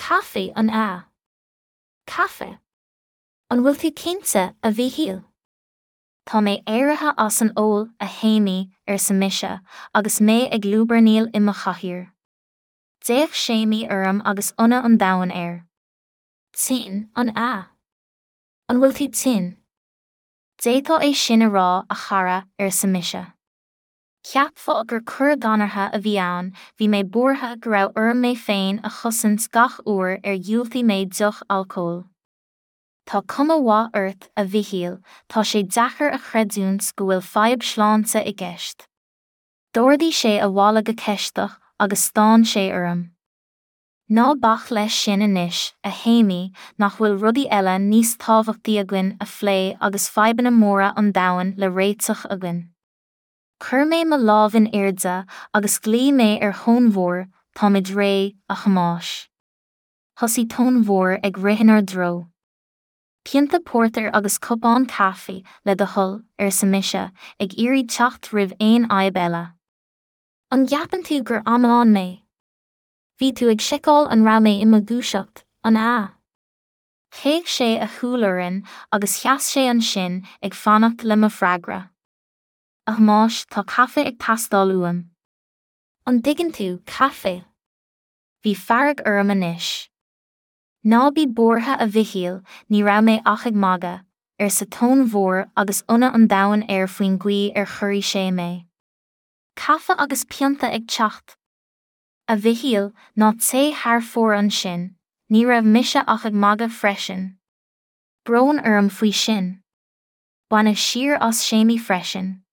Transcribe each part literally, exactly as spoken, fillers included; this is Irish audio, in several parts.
Caife, an ea? Caife? An bhfuil tú cinnte, a Mhichíl? Tá mé éirithe as an ól, a Shéimí, arsa mise, agus mé ag lúbarnaíl i mo chathaoir. D'fhéach Séimí orm agus ionadh an domhain air. Tinn, an ea? An bhfuil tú tinn? D'fhéadfá é sin a rá, a chara, arsa mise. Cheapfá gur coir dhanartha a bhí ann, bhí mé buartha go raibh orm mé féin a chosaint gach uair ar dhiúltaigh mé deoch alcóil. Tá cuma mhaith ort, a Mhichíl, tá sé deacair a chreidiúint go bhfuil fadhb shláinte i gceist. D'ardaigh sé a mhála go ceisteach agus stán sé orm. Ná bac leis sin anois, a Shéimí, nach bhfuil rudaí eile níos tábhachtaí againn a phlé agus fadhbanna móra an domhain le réiteach againn. Chuir mé mo lámh in airde agus ghlaoigh mé ar thonn mhór, táimid réidh, a Thomáis. Thosaigh tonn mhór ag rith inár dtreo. Pionta pórtair agus cupán caife, le do thoil, arsa mise, ag iarraidh teacht roimh aon fhadhb eile. An gceapann tú gur amadán mé? Bhí tú ag seiceáil an raibh mé i mo dhúiseacht, an ea? Chaoch sé a shúil orainn agus sheas sé ansin ag fanacht le mo fhreagra. A Thomáis, tá caife ag teastáil uaim. An dtuigeann tú, caife? Bhí fearg orm anois. Ná bí buartha a Mhichíl, ní raibh mé ach ag magadh, arsa tonn mhór agus ionadh an domhain air faoin gcaoi ar chorraigh sé mé. Caife agus pionta ag teacht. A Mhichíl, ná téigh thar fóir ansin, ní raibh mise ach ag magadh freisin. Brón orm faoi sin. Baineadh siar as Séimí freisin.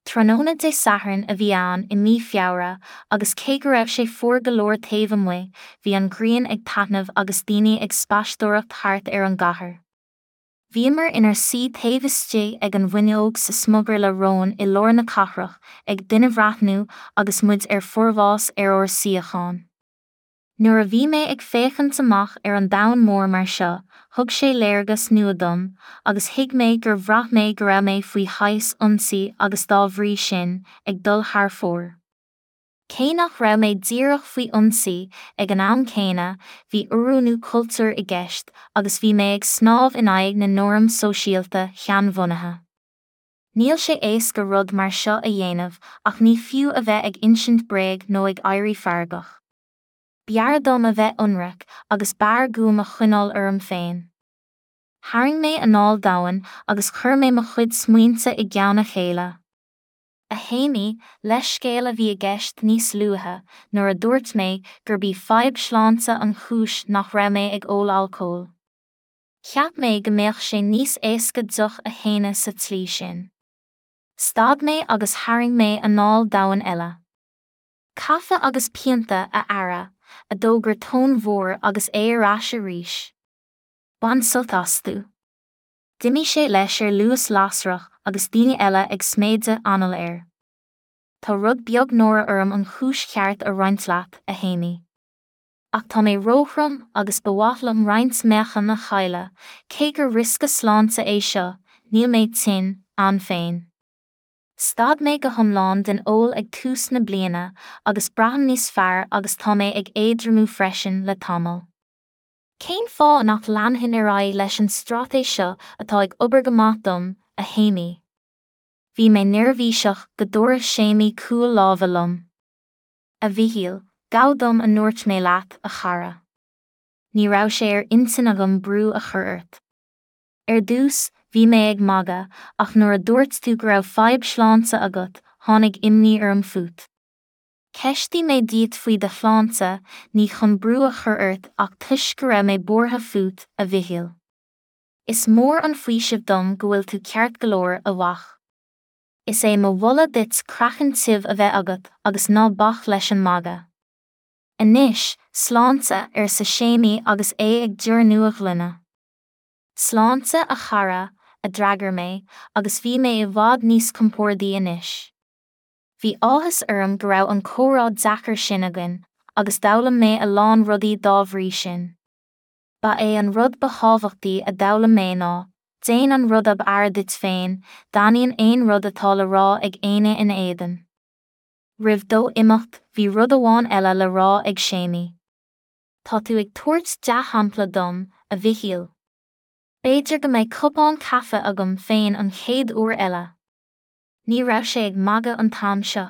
Tráthnóna Dé Sathairn a bhí ann i mí Feabhra agus cé go raibh sé fuar go leor taobh amuigh, bhí an ghrian ag taitneamh agus daoine ag spaisteoireacht thart ar an gcathair. Bhíomar inár suí taobh istigh ag an bhfuinneog sa smugairle róin i lár na cathrach, ag duinebhreathnú agus muid ar forbhás ar ár suíocháin. Nuair a bhí mé ag féachaint amach ar an domhan mór mar seo, thug sé léargas nua dom, agus thuig mé gur bhraith mé go raibh mé faoi shaghas ionsaí agus dá bhrí sin, ag dul thar fóir. Cé nach raibh mé díreach faoi ionsaí, ag an am céanna, bhí oiriúnú cultúir i gceist agus bhí mé ag snámh in aghaidh na norm sóisialta sheanbhunaithe. Níl sé éasca rud mar seo a dhéanamh ach ní fiú a bheith ag insint bréag nó ag éirí feargach. B'fhearr dom a bheith ionraic agus b'fhearr guaim a choinneáil orm féin. Tharraing mé anáil domhain agus chuir mé mo chuid smaointe i gceann a chéile. A Shéimí, leithscéal a bhí i gceist níos luaithe, nuair a dúirt mé gurb í fadhb shláinte an chúis nach raibh mé ag ól alcóil. Cheap mé go mbeadh sé níos éasca deoch a shéanadh sa tslí sin. Stad mé agus tharraing mé anáil domhain eile. Caife agus pionta, a fheara, a d'fhógair tonn mhór agus é ar ais arís. Bain sult astu. D'imigh sé leis ar luas lasrach agus daoine eile ag sméideadh anall air. Tá rud beag náire orm an chúis cheart a roinnt leat, a Shéimí. Ach tá mé róthrom agus ba mhaith liom roinnt meáchan a chailleadh, cé gur riosca sláinte é seo, níl mé tinn, ann féin. Stad mé go hiomlán den ól ag tús na bliana agus braithim níos fearr agus tá mé ag éadromú freisin le tamall. Cén fáth nach leanfainn ar aghaidh leis an straitéis seo atá ag obair go maith dom, a Shéimí? Bhí mé neirbhíseach go dtabharfadh Séimí cúl láimhe liom. A Mhichíl, gabh dom a ndúirt mé leat, a chara. Ní raibh sé ar intinn agam brú a chur ort. Ar dtús, bhí mé ag magadh, ach nuair a dúirt tú go raibh fadhb shláinte agat, tháinig imní orm fút. Cheistigh mé díot faoi do shláinte, ní chun brú a chur ort ach toisc go raibh mé buartha fút, a Mhichíl. Is mór an faoiseamh dom go bhfuil tú ceart go leor, a mhac. Is é mo mholadh duit craiceann tiubh a bheith agat agus ná bac leis an magadh. Anois, sláinte, arsa Séimí agus é ag deornú a ghloine. Sláinte, a chara, a d'fhreagair mé, agus bhí mé i bhfad níos compordaí anois. Bhí áthas orm go raibh an comhrá deacair sin againn, agus d'fhoghlaim mé a lán rudaí dá bhrí sin. Ba é an rud ba thábhachtaí a d'fhoghlaim mé ná, déan an rud ab fhearr duit féin, d'ainneoin aon rud atá le rá ag éinne ina éadan. Roimh dó imeacht, bhí rud amháin eile le rá ag Séimí. Tá tú ag tabhairt dea-shampla dom, a Mhichíl. B'fhéidir go mbeidh cupán caife agam féin an chéad uair eile. Ní raibh sé ag magadh an t-am seo.